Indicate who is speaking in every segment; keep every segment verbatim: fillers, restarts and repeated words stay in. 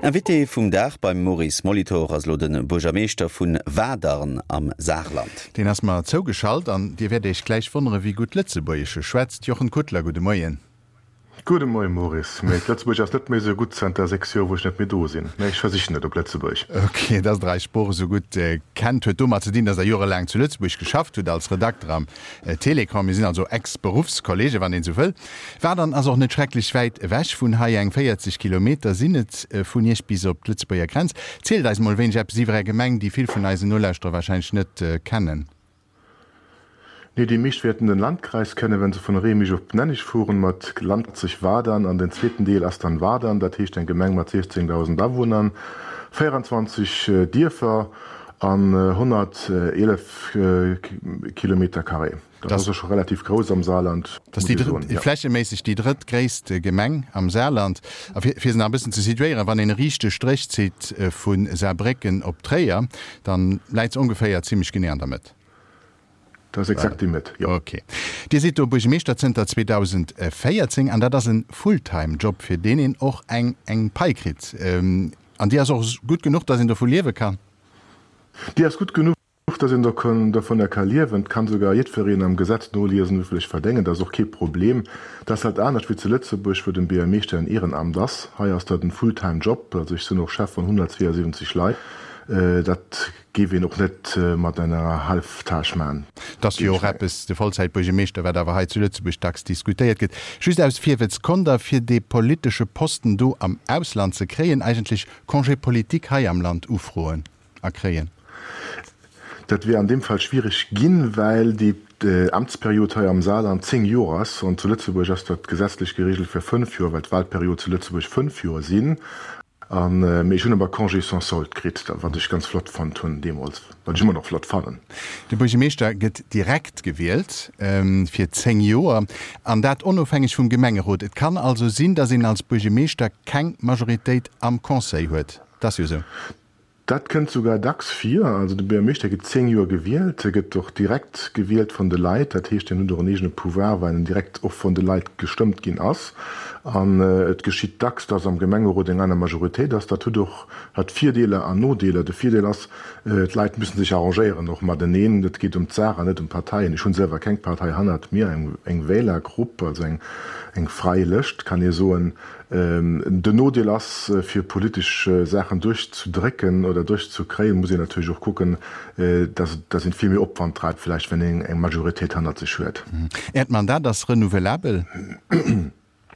Speaker 1: Invité vum Dag beim Maurice Molitor ass lo de Buergermeeschter vu Wadern am Saarland.
Speaker 2: Deen ass mer zougeschalt an Dir wäert Iech gläich wonnere wéi gutt Lëtzebuergesch e schwätzt. Jochen Kutler, gudde Moien.
Speaker 3: Gudde Moien Maurice. Mee d'Lëtzebuergesch ass net méi esou gutt zanter sechs Joer wou ech net méi do sinn. Mee ech versichen et op Lëtzebuergesch.
Speaker 2: Ok, dass Der eis Sprooch esou gutt kennt huet domat ze dinn, dass Der jorelaang zu Lëtzebuerg geschafft hutt als Redakter am Télécran. Mir sinn also Ex-Beruffskollegen, wann een esou wëll. Wadern ass och net schrecklech wäit ewech vun hei, eng véierzeg Kilometer sinn et vun Iech bis op d'Lëtzebuerger Grenz. Zielt eis mol e wéineg eppes iwwer Är Gemeng, déi vill vun eisen Nolauschterer wahrscheinlech net kennen.
Speaker 3: Nee, déi meescht wäerten den Landkreis kennen, wenn se vun Remich op Nenneg fueren, mat Landzeg Wadern an den zweeten Deel ass dann Wadern, dat heescht eng Gemeng mat siechzéngdausend Awunner, véieranzwanzeg Dierfer an honnerteelef Kilometer carré. Dat ass scho relativ grouss am Saarland,
Speaker 2: Dat ass déi drëtt, flächeméisseg déi drëttgréisst Gemeng am Saarland. A fir se nach e bëssen ze situéieren, wann een e riichte Stréch zitt vu Saarbrécken op Tréier, dann läit se ongeféier zimmlech genee an der Mëtt.
Speaker 3: Dat ass exakt déi Mëtt, jo.
Speaker 2: Ok. Dir sidd do Buergermeeschter zënter zweedausendvéierzéng an dat ass e Fulltime-Job, fir deen een och eng eng Pai kritt. An déi ass och gutt genuch, datt een dovu liewe kann?
Speaker 3: Déi ass gutt genuch, datt een dovunner ka liewen. Et kann sougar jiddwereen am Gesetz noliesen, wéivill ech verdéngen. Dat ass och kee Problem. Dat ass halt anescht wéi zu Lëtzebuerg, wou den Buergermeeschter en Ehrenamt ass. Hei ass dat en Fulltime Job. Also ech sinn och Chef vun honnertzweeënsiwwenzeg Leit. Dat géif een och net mat enger Halftâche man.
Speaker 2: Et ass jo och eppes, de Vollzäitbuergermeeschter, wat awer hei zu Lëtzebuerg dacks diskutéiert gëtt, just aus Virwëtz, Konnt Der fir dee politesche Posten do am Ausland ze kréien eigentlech Congé politique hei am Land ufroen a kréien?
Speaker 3: Dat wier an deem Fall schwiereg ginn, well déi Amtsperiod hei am Saarland zéng Joer ass an zu Lëtzebuerg ass dat gesetzlech geregelt fir fënnf Joer, well d'Wahlperiod zu Lëtzebuerg fënnf Joer sinn. An, mee ech hunn awer Congé sans solde kritt, wat ech ganz flott fonnt hunn deemools, wat ech ëmmer nach flott fannen.
Speaker 2: De Buergermeeschter gëtt direkt gewielt fir zéng Joer, an dat onofhängeg vum Gemengerot. Et kann also sinn, datt een als Buergermeeschter keng Majoritéit am Conseil huet. Dat ass jo esou.
Speaker 3: Dat kënnt souguer dacks vir. Also de Buergermeeschter gëtt zéng Joer gewielt, e gëtt och direkt gewielt vun de Leit. Dat heescht, en huet och en eegene Pouvoir, well en direkt och vun de Leit gestëmmt ginn ass. An et geschitt dacks, dass am Gemengerot eng aner Majoritéit ass. Dat huet och hat Virdeeler an Nodeeler. De Virdeel ass, d'Leit müssen sech arrangéieren och mateneen. Et geet ëm d'Saach an net ëm d'Parteien. Ech hunn selwer keng Partei hannert mir, eng Wählergrupp, also eng frai Lëscht, kann ee soen. Den Nodeel ass, fir politesch Saachen duerchzedrécken oder duerchzekréien, muss een natierlech och kucken, dass een vill méi Opwand dreift vläicht, wenn een eng Majoritéit hannert sech huet.
Speaker 2: Äert Mandat ass renouvelabel?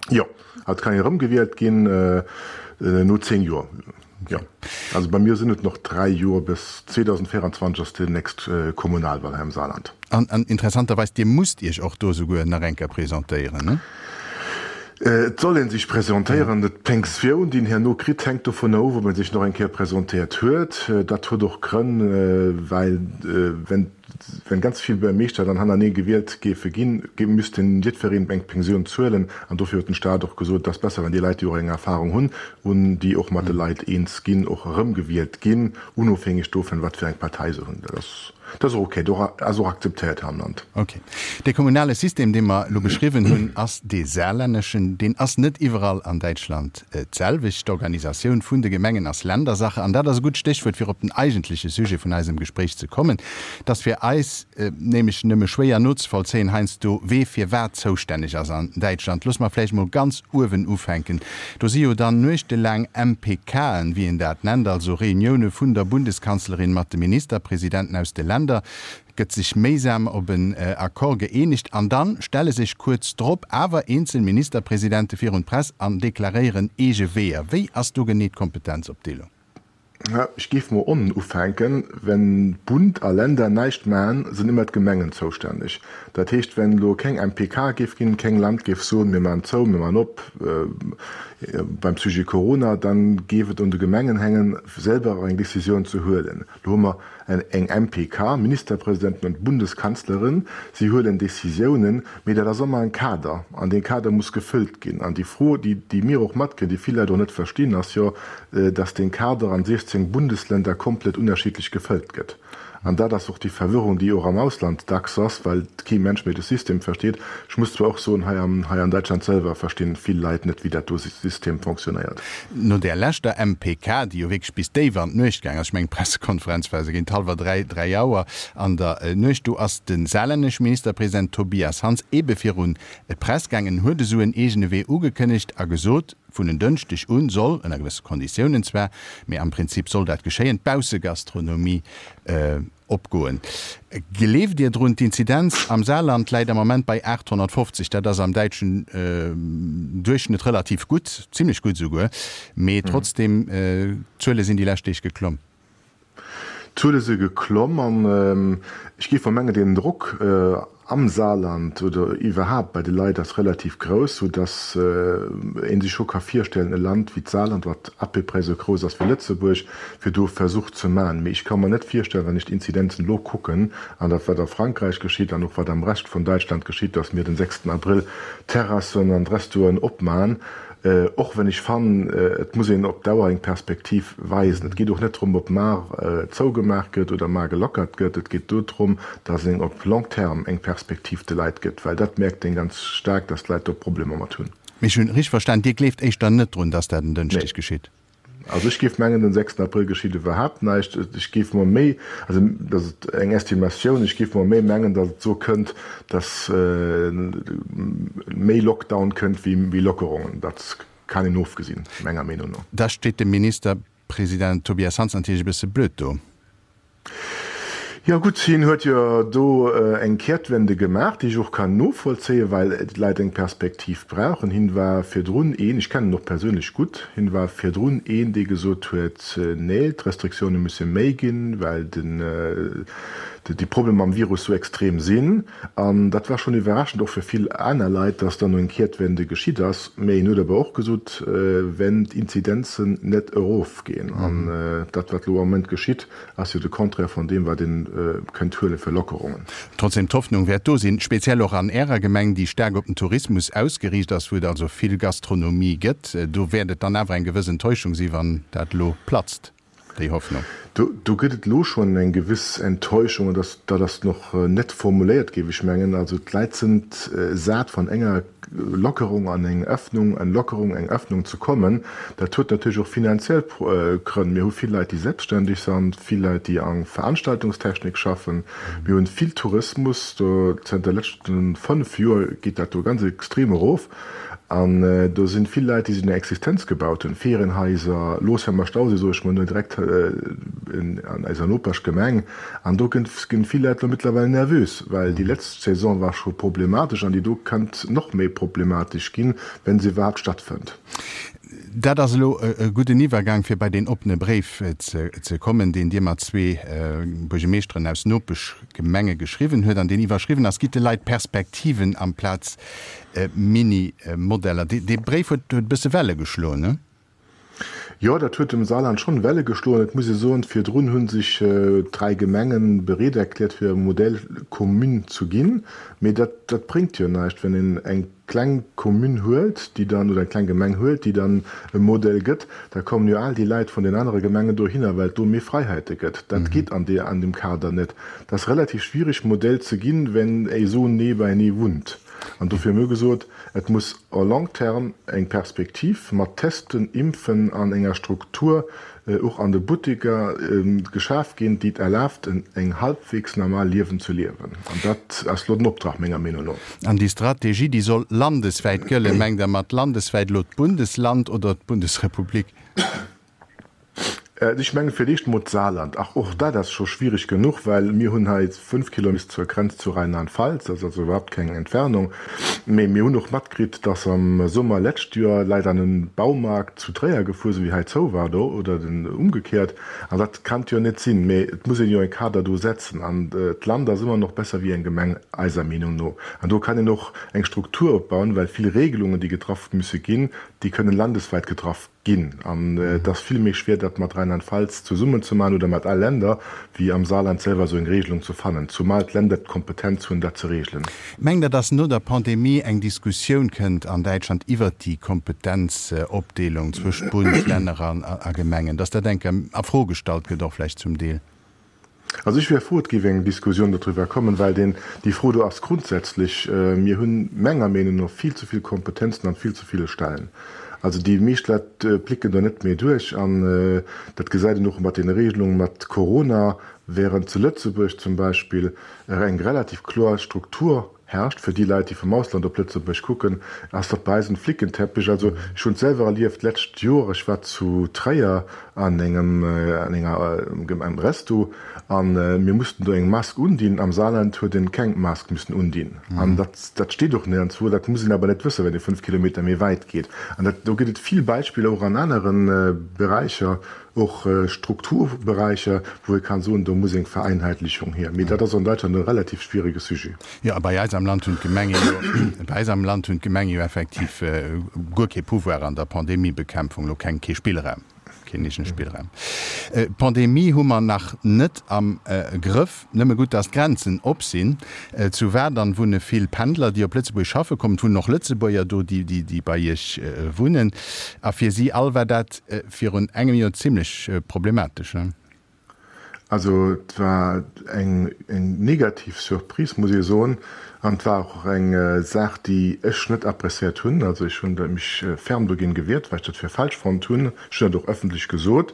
Speaker 3: Jo, et kann een erëmgewielt ginn no zéng Joer. Jo, also bei mir sinn et noch dräi Joer, bis zweedausendvéieranzwanzeg ass déi nächst Kommunalwahl hei am Saarland.
Speaker 2: An interessanterweis, Dir musst Iech och do souguer nach eng Kéier presentéieren, ne?
Speaker 3: Et soll ee sech presentéieren. D'Pensioun, déi een herno kritt, hänkt dovunner of, ob ee sech nach eng Kéier presentéiert huet. Dat huet och Grënn, well wenn ganz vill Buergermeeschter dann hanernee gewielt géife ginn, misst jiddwereen eng Pensioun zuelen. An dofir huet den Staat och gesot, et ass besser, wenn déi Leit, déi och eng Erfahrung hunn, un déi och mat de Leit eens ginn, och erëmgewielt ginn, unofhängeg dovun, wat fir eng Partei se hunn. Dat ass. Dat ass och ok, dat ass och akzeptéiert hei am Land.
Speaker 2: Ok. Dee kommunale System, dee mer elo beschriwwen hunn, ass dee saarlänneschen. Deen ass net iwwerall an Däitschland d'selwecht. D'Organisatioun vun de Gemengen ass Ländersache. An dat ass e gutt Stéchwuert, fir op den eigentleche Sujet vun eisem Gespréich ze kommen. Et ass fir eis nämlech nëmme schwéier nozevollzéien heiansdo, wee fir wat zoustänneg ass an Däitschland. Loosse mer vläicht mol ganz uewen ufänken. Do si jo dann nuechtelaang M P K'en, wéi een dat nennt, also Reunioune vun der Bundeskanzlerin mat de Ministerpresidenten aus de Länder, gëtt sech méisam op en Accord gëeenegt an dann stelle sech kuerz drop awer eenzel Ministerpresidente virun d'Press an deklaréieren eege Weeër. Wéi ass do genee d'Kompetenzopdeelung?
Speaker 3: Ech géif mol onnen ufänken, Wenn Bund a Länder näischt maachen, sinn ëmmer d'Gemengen zoustänneg. Dat heescht, wenn elo keng M P K géif ginn, keng Land géif soen, mir maachen zou, mir maachen op beim Sujet Corona, dann géif et un de Gemengen hängen, selwer eng Décisioun ze huelen. Lo hu mer eng M P K, Ministerpresidenten an d'Bundeskanzlerin, si huelen Décisiounen, mee dat ass ëmmer en Kader an dee Kader muss gefëllt ginn. An déi Fro, déi déi mir och matkréien, déi vill Leit och net verstinn, ass jo, dass dee Kader an siechzéng Bundesländer komplett ënnerschiddlech gefëllt gëtt. An dat ass och déi Verwirrung, déi och am Ausland dacks ass, well kee Mensch méi de System versteet. Ech muss zwar och soen, hei am, hei an Däitschland selwer verstinn vill Leit net, wéi dat do System fonctionnéiert.
Speaker 2: No där leschter M P K, déi jo wierklech bis déif an d'Nuecht gaang ass, ech mengen d'Pressekonferenz war esou géint hallwer dräi, dräi Auer an der Nuecht, do ass de saarlännesche Ministerpresident Tobias Hans ebe virun d'Press gaangen, huet esou en eegene Wee ugekënnegt a gesot, vun en Dënschdeg un soll, ënner gewësse Konditiounen zwar, mee am Prinzip soll dat geschéien, d'Baussegastronomie opgoen. Gleeft Dir drun? D'Inzidenz am Saarland läit am Moment bei aathonnertfofzeg. Dat ass am däitschen Duerchschnëtt relativ gutt, zimlech gutt esouguer, mee trotzdeem, d'Zuele sinn déi lescht Deeg geklomm.
Speaker 3: D'Zuele si geklomm an ech géif mol mengen, den Drock am Saarland oder iwwerhaapt bei de Leit ass relativ grouss, sou dass ee sech scho ka virstellen, e Land wéi d'Saarland, wat à peu près esou grouss ass wéi Lëtzebuerg, fir do e Versuch ze maachen. Mee ech ka mer net virstellen, wann ech d'Inzidenzen elo kucken an dat, wat a Frankräich geschitt an och wat am Rescht vun Däitschland geschitt, dass mir den sechsten Abrëll d'Terrassen an d'Restoen opmachen. Och wenn ech fannen, et muss een op Dauer eng Perspektiv weisen. Et geet och net drëm, ob mar zougemaach gëtt oder mar gelockert gëtt. Et geet do drëm, datt een op long terme eng Perspektiv de Leit gëtt, well dat mierkt een ganz staark, datt d'Leit do Problemer mat hunn.
Speaker 2: Mee ech hunn richteg verstan, Dir gleeft éischter net drun, datt dat en Dënschdeg geschitt?
Speaker 3: Also ech géif mengen, den sechsten Abrëll geschitt iwwerhaapt näischt. Ech géif mer méi, also dat ass eng Estimatioun, ech géif mer méi mengen, datt et esou kënnt, datt méi Lockdown kënnt wéi Lockerungen. Dat kann een ofgesinn, menger Meenung no.
Speaker 2: Da steet de Ministerpresident Tobias Hans natierlech e bësse blöd do.
Speaker 3: Jo gutt, hien huet jo do eng Kehrtwende gemaach, déi ech och kann novollzéien, well d'Leit eng Perspektiv brauchen. Hien war virdrun een, ech kennen en och perséinlech gutt, hien war virdrun een, dee gesot huet, nee, d'Restriktioune musse méi ginn, well den, déi Problemer mam Virus sou extrem sinn. An dat war schonn iwwerraschend och fir vill aner Leit, dass dann eng Kehrtwende geschitt ass. Mä hien huet awer och gesot, wenn d'Inzidenzen net erofginn, an dat wat elo am Moment geschitt, ass jo de Contraire vun deem wat een kënnt huele fir Lockerungen.
Speaker 2: Trotzdem, d'Hoffnung wäert do sinn, speziell och an Ärer Gemeng, déi staark op den Tourismus ausgeriicht ass, wou et also vill Gastronomie gëtt. Do wäert et dann awer eng gewëss Enttäuschung si wann dat elo platzt, déi Hoffnung.
Speaker 3: Do, do gëtt et elo schonn eng gewiss Enttäuschung, an dat, dat ass nach net formuléiert, géif ech mengen. Also d'Leit sinn sat vun enger Lockerung an eng Öffnung, eng Lockerung, eng Öffnung ze kommen. Dat huet natierlech och finanziell Grënn. Mir hu vill Leit, déi selbstständeg sinn, vill Leit, déi an Veranstaltungstechnik schaffen. Mir hunn vill Tourismus, do zënter de leschte fënnef Joer geet dat do ganz extrem erof. An do sinn vill Leit, déi sech eng Existenz gebaut hunn, Ferienhaiser, Losheimer Stausee, soe ech mol nur, direkt an eiser Nopeschgemeng. An do ginn vill Leit elo mëttlerweil nervös, well déi letzt Saison war scho problematesch an déi do kënnt nach méi problematesch ginn, wenn se iwwerhaapt stattfënnt.
Speaker 2: Dat ass elo e gudden Iwwergang, fir bei deen oppene Bréif ze kommen, deen Dir mat zwee Buergermeeschteren aus Nopeschgemenge geschriwwen huet an deen iwwerschriwwen ass, Gitt de Leit Perspektiven amplaz Mini-Modeller. Dee Bréif huet e bësse Welle geschloen, ne?
Speaker 3: Jo, dat huet am Saarland schonn Welle geschloen. Et muss ee soen, virdrun hu sech dräi Gemenge bereet erkläert, fir Modèle commune ze ginn. Mee dat, dat bréngt jo näischt, wenn een eng kleng Commune huelt, déi dann, oder eng kleng Gemeng huelt, déi dann e Modell gëtt, da kommen jo all déi Leit vun den anere Gemengen dohinner, well et do méi Fräiheite gëtt. Dat geet an deer, an deem Kader net. Dat ass relativ schwierig, Modell ze ginn, wenn ee sou nee beienee wunnt. An dofir hu mir gesot, et muss à long terme eng Perspektiv mat Testen, Impfen an enger Struktur och an de Butteker geschaf ginn, déi et erlaabt, eng halbwegs normal Liewen ze liewen. An dat ass elo den Optrag, menger Meenung no.
Speaker 2: An déi Strategie, déi soll landeswäit gëllen. Mengt Der mat landeswäit elo d'Bundesland oder d'Bundesrepublik?
Speaker 3: Ech menge fir d'éischt emol d'Saarland. Ach, och dat ass scho schwierig genuch, well mir hunn hei fënnf Kilometer zur Grenz zu Rheinland-Pfalz, dat ass also iwwerhaapt keng Entfernung. Mee mir hunn och matkritt, dass am Summer lescht Joer Leit an e Baumarkt zu Tréier gefuer sinn, wéi hei zou war do, oder den umgekehrt. An dat kann jo net sinn. Mee et muss een jo e Kader do setzen. An d'Land ass ëmmer nach besser wéi eng Gemeng, eiser Meenung no. An do kann een och eng Struktur opbauen, well vill Regelungen, déi getraff musse ginn, déi kënnen landeswäit getraff ginn. An et ass vill méi schwéier, dat mat Rheinland-Pfalz zesummen ze maachen oder mat all Länder, wéi am Saarland selwer esou eng Regelung ze fannen, zumal d'Länder d'Kompetenz hunn, dat ze regelen.
Speaker 2: Mengt Der, dass no der Pandemie eng Diskussioun kënnt an Däitschland iwwert déi Kompetenzopdeelung zwëscht Bund, Länner a Gemengen, dass dat eng Kéier a Fro gestallt gëtt och vläicht zum Deel?
Speaker 3: Also ech wier frou, et géif eng Diskussioun dodriwwer kommen, well deen, déi Fro do ass grundsätzlech, mir hunn menger Meenung no vill ze vill Kompetenzen an vill ze ville Stellen. Also déi meescht Leit blicken do net méi duerch an dat gesäit een och mat deene Regelunge mat Corona, während zu Lëtzebuerg zum Beispill eng relativ kloer Struktur herrscht. Fir déi Leit, déi vum Ausland op Lëtzebuerg kucken, ass dat bei eis en Flickenteppich. Also ech hunn et selwer erlieft d'lescht Joer, ech war zu Tréier an engem an enger engem Resto an mir mussten do eng Mask undinn. Am Saarland huet een keng Mask müssen undinn. An dat dat steet och nirgendwou. Dat muss een awer net wëssen, wenn ee fënnf Kilometer méi wäit geet. An dat do gëtt et vill Beispiller och an anere Beräicher. Och Strukturberäicher, wou ee kann soen, do muss eng Vereinheitlichung hier. Mee dat ass an Deutschland e relativ schwierige Sujet.
Speaker 2: Jo, a bei eis am Land hunn d'Gemenge jo, bei eis am Land hunn d'Gemenge jo effektiv guer kee Pouvoir an der Pandemiebekämpfung, elo keng, kee Spillraum, keen eegene Spillraum. D'Pandemie hu mer nach net am Grëff. Nëmme gutt, dass d'Grenzen op sinn. Zu Wadern wunne vill Pendler, déi op Lëtzebuerg schaffe kommen. Et wunnen och Lëtzebuerger do, déi bei Iech wunnen. A fir si all war dat virun engem Joer zimlech problematesch, ne?
Speaker 3: Also et war eng negativ Surprise, muss ee soen. An et war och eng Saach, déi ech net appréciéiert hunn. Also ech hunn mech ferm dogéint gewiert, well ech dat fir falsch fonnt hunn. Ech hunn dat och ëffentlech gesot.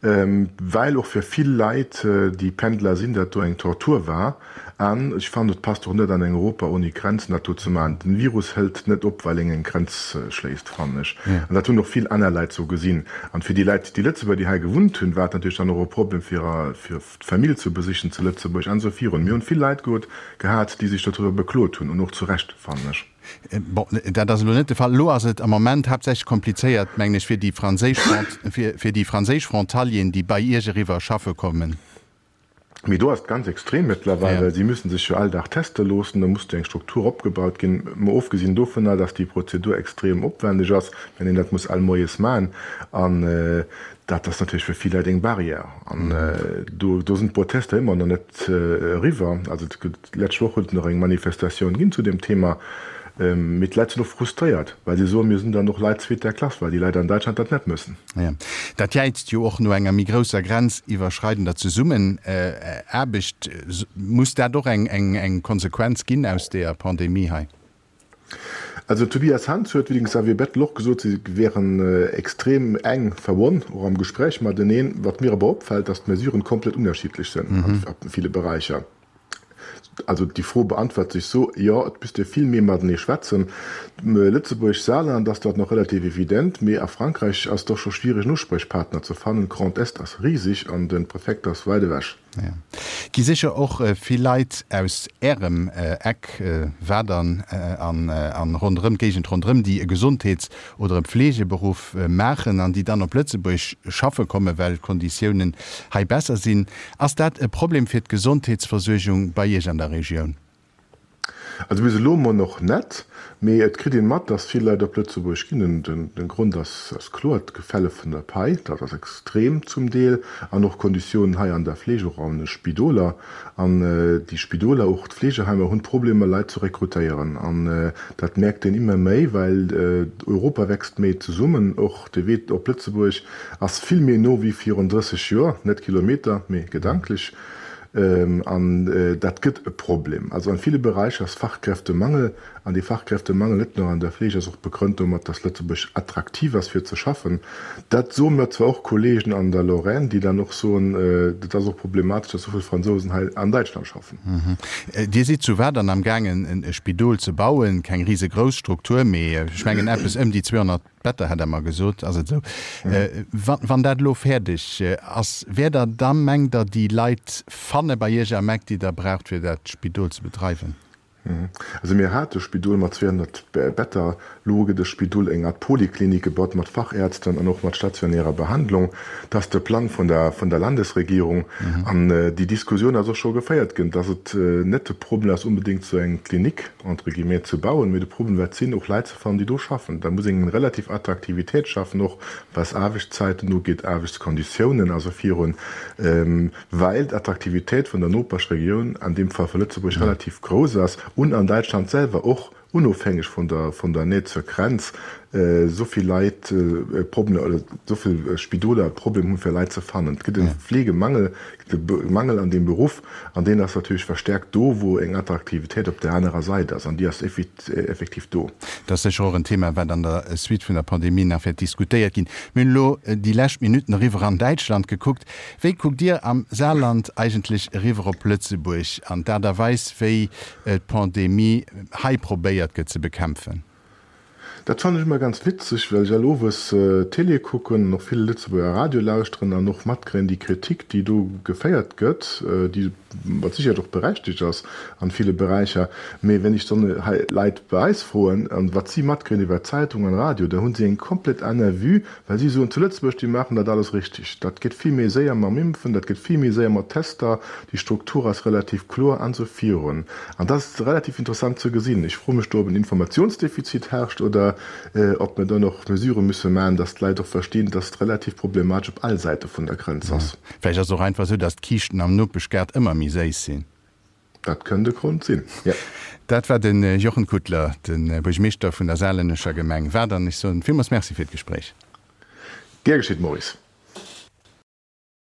Speaker 3: Well och fir vill Leit, déi Pendler sinn, dat do eng Tortur war. An ech fannen, et passt och net an eng Europa ouni Grenzen, dat do ze maachen. Den Virus hëlt net op, well een eng Grenz schléisst, fannen ech. An dat hunn och vill aner Leit sou gesinn. An fir déi Leit, déi Lëtzebuerger, déi hei gewunnt hunn, war et natierlech dann och e Problem, fir fir d'Famill ze besichen zu Lëtzebuerg an esou virun. Mir hunn vill Leit gehat, déi sech dodriwwer beklot hunn, an och zu Recht, fannen ech.
Speaker 2: Bon, dat ass elo net de Fall. Elo ass et am Moment haaptsächlech komplizéiert, mengen ech, fir déi franséisch, fir déi franséisch Frontalieren, déi bei Iech eriwwer schaffe kommen.
Speaker 3: Mee do ass et ganz extrem mëttlerweil, well si müssen sech jo all Dag teste loossen. Da muss do eng Struktur opgebaut ginn, mol ofgesinn dovunner, dass déi Prozedur extrem opwendeg ass, wenn een dat muss all moies maachen. An dat ass natierlech fir vill Leit eng Barrière. An do, do sinn d'Protester ëmmer nach net eriwwer. Also et gëtt, d'lescht Woch huet et nach eng Manifestatioun ginn zu deem Thema. Mee d'Leit sinn och frustréiert, well si soen, mir sinn dann och Leit zweeter Klass, well déi Leit an Däitschland dat net müssen.
Speaker 2: Jo, dat jäizt jo och no enger méi grousser grenziwwerschreidender Zesummenaarbecht. Muss dat och eng Konsequenz ginn aus deeër Pandemie hei?
Speaker 3: Also Tobias Hans huet, wéi den Xavier Bettel och gesot, si wären extrem enk verbonn, och am Gespräch mateneen. Wat mir awer opfält, datt d'Mesuren komplett ënnerschiddlech sinn a ville Beräicher. Also déi Fro beantwert sech sou, Jo, et misst ee vill méi matenee schwätzen. Lëtzebuerg, Saarland ass dat nach relativ evident, mee a Frankräich ass et och scho schwiereg en Uspriechpartner ze fannen. Grand Est ass riseg an de Prefekt ass wäit ewech.
Speaker 2: Jo. Gi sécher och vill Leit aus Ärem Eck, Wadern an ronderëm, d'Géigend ronderëm, déi e Gesondheets oder e Pflegeberuff maachen an déi dann op Lëtzebuerg schaffe kommen, well d'Konditiounen hei besser sinn. Ass dat e Problem fir d'Gesondheetsversuergung bei Iech an der Regioun?
Speaker 3: Also bis elo mol nach net, mee et kritt een mat, dass vill Leit op Lëtzebuerg ginn. Den Grond ass kloer, d'Gefälle vun der Pai, dat ass extrem zum Deel, an och d'Konditiounen hei an der Fleeg, och an de Spidoler. An déi Spidoler, och d'Fleegeheimer hunn Problemer Leit ze rekrutéieren. An dat mierkt een immer méi, well Europa wächst méi zesummen. Och de Wee op Lëtzebuerg ass vill méi no wéi virun drësseg Joer, net Kilometer, mee gedanklech. An dat gëtt e Problem. Also an ville Beräicher ass Fachkräftemangel. An dee Fachkräftemangel, net nëmme an der Fleeg, ass och begrënnt domat, dass Lëtzebuerg attraktiv ass fir ze schaffen. Dat soe mir zwar och Kollegen an der Lorraine, déi dann och soen, dat ass och problematesch, dass esou vill Fransousen hei an Däitschland schaffen.
Speaker 2: Dir sidd zu Wadern amgaangen e Spidol ze bauen, keng risegrouss Struktur, mee ech mengen eppes ëm déi zweehonnert Better hat Der mer gesot, ass et esou? Wann dat elo fäerdeg ass, wäert Der da, mengt Der, déi Leit fanne bei Iech am Eck, déi Der braucht, fir dat Spidol ze bedreiwen?
Speaker 3: Also mir hate Spidol mat zweehonnert Better. Elo gëtt e Spidol, eng Art Poliklinik gebaut mat Fachärzten an och mat stationärer Behandlung. Dat ass de Plang vun der, vun der Landesregierung. An déi Diskussioun ass och scho geféiert ginn, dass et net de Problem ass onbedéngt esou eng Klinik, entre guillemets, ze bauen, mee de Problem wäert sinn, och Leit ze fannen, déi do schaffen. Da muss een eng relativ Attraktivitéit schaffen, och was Aarbechtszäiten ugeet, Aarbechtskonditiounen a sou virun, well d'Attraktivitéit vun der Nopeschregioun, an deem Fall vu Lëtzebuerg, relativ grouss ass, un an Däitschland selwer och, onofhängeg vun der vun der Näht zur Grenz. esou vill Leit Problemer oder esou vill Spidoler e Problem hunn, fir Leit ze fannen. Et gëtt e Fleegemangel, et gëtt e Mangel an deem Beruff an deen ass natierlech verstärkt do, wou eng Attraktivitéit op där anerer Sait ass an déi ass effektiv do.
Speaker 2: Dat ass sécher och en Thema, wat an der Suite vun der Pandemie nach wäert diskutéiert ginn. Mir hunn elo déi lescht Minutten eriwwer an Däitschland gekuckt. Wéi kuckt Dir am Saarland eigentlech eriwwer op Lëtzebuerg an d'Aart a Weis, wéi d'Pandemie hei probéiert gëtt ze bekämpfen?
Speaker 3: Dat fannen ech ëmmer ganz witzeg, well ech all owes Télé kucken an och vill Lëtzebuerger Radio lauschteren an och matkréien déi Kritik, déi do geféiert gëtt, déi mat Sicherheet och berechtegt ass an ville Beräicher. Mee wenn ech dann hei Leit bei eis froen, an wat si matkréien iwwer Zeitung an Radio, da hunn si eng komplett aner Vue, well si soen, zu Lëtzebuerg, déi maachen dat alles richtig, dat geet vill méi séier mam Impfen, dat geet vill méi séier mat Tester, déi Struktur ass relativ kloer an esou virun. An dat ass relativ interessant ze gesinn. Ech froe mech do, ob en Informationsdefizit herrscht oder ob mir dann och Mesurë musse maachen, dass d'Leit och verstinn, dass et relativ problematesch op all Säite vun der Grenz ass.
Speaker 2: Vläicht ass et och einfach esou, dass d'Kiischten am Nopeschgaart ëmmer méi séiss sinn.
Speaker 3: Dat kënnt e Grond sinn, jo.
Speaker 2: Dat war de Jochen Kutler, de Buergmeeschter vun der saarlännescher Gemeng Wadern. Ech soen villmools Merci fir d'Gespréich.
Speaker 3: Gär geschitt, Maurice.